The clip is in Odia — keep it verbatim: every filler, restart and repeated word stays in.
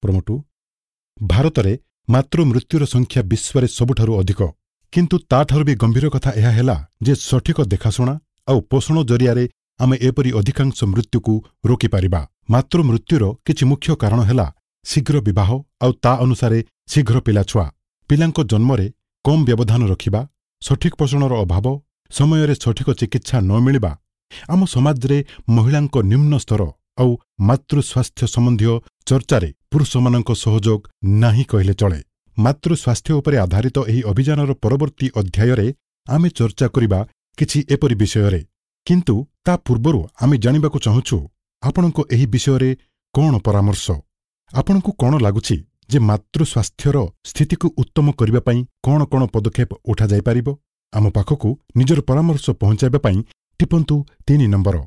ପ୍ରୋମୋ ଟୁ ଭାରତରେ ମାତୃ ମୃତ୍ୟୁର ସଂଖ୍ୟା ବିଶ୍ୱରେ ସବୁଠାରୁ ଅଧିକ କିନ୍ତୁ ତାଠାରୁ ବି ଗମ୍ଭୀର କଥା ଏହା ହେଲା ଯେ ସଠିକ ଦେଖାଶୁଣା ଆଉ ପୋଷଣ ଜରିଆରେ ଆମେ ଏପରି ଅଧିକାଂଶ ମୃତ୍ୟୁକୁ ରୋକିପାରିବା ମାତୃ ମୃତ୍ୟୁର କିଛି ମୁଖ୍ୟ କାରଣ ହେଲା ଶୀଘ୍ର ବିବାହ ଆଉ ତା ଅନୁସାରେ ଶୀଘ୍ର ପିଲାଛୁଆ ପିଲାଙ୍କ ଜନ୍ମରେ କମ୍ ବ୍ୟବଧାନ ରଖିବା ସଠିକ ପୋଷଣର ଅଭାବ ସମୟରେ ସଠିକ ଚିକିତ୍ସା ନ ମିଳିବା ଆମ ସମାଜରେ ମହିଳାଙ୍କ ନିମ୍ନ ସ୍ତର ଆଉ ମାତୃ ସ୍ୱାସ୍ଥ୍ୟ ସମ୍ବନ୍ଧୀୟ ଚର୍ଚ୍ଚାରେ ପୁରୁଷମାନଙ୍କ ସହଯୋଗ ନାହିଁ କହିଲେ ଚଳେ ମାତୃ ସ୍ୱାସ୍ଥ୍ୟ ଉପରେ ଆଧାରିତ ଏହି ଅଭିଯାନର ପରବର୍ତ୍ତୀ ଅଧ୍ୟାୟରେ ଆମେ ଚର୍ଚ୍ଚା କରିବା କିଛି ଏପରି ବିଷୟରେ କିନ୍ତୁ ତା ପୂର୍ବରୁ ଆମେ ଜାଣିବାକୁ ଚାହୁଁଛୁ ଆପଣଙ୍କ ଏହି ବିଷୟରେ କ'ଣ ପରାମର୍ଶ ଆପଣଙ୍କୁ କ'ଣ ଲାଗୁଛି ଯେ ମାତୃ ସ୍ୱାସ୍ଥ୍ୟର ସ୍ଥିତିକୁ ଉତ୍ତମ କରିବା ପାଇଁ କ'ଣ କ'ଣ ପଦକ୍ଷେପ ଉଠାଯାଇପାରିବ ଆମ ପାଖକୁ ନିଜର ପରାମର୍ଶ ପହଞ୍ଚାଇବା ପାଇଁ ଟିପନ୍ତୁ ତିନି ନମ୍ବର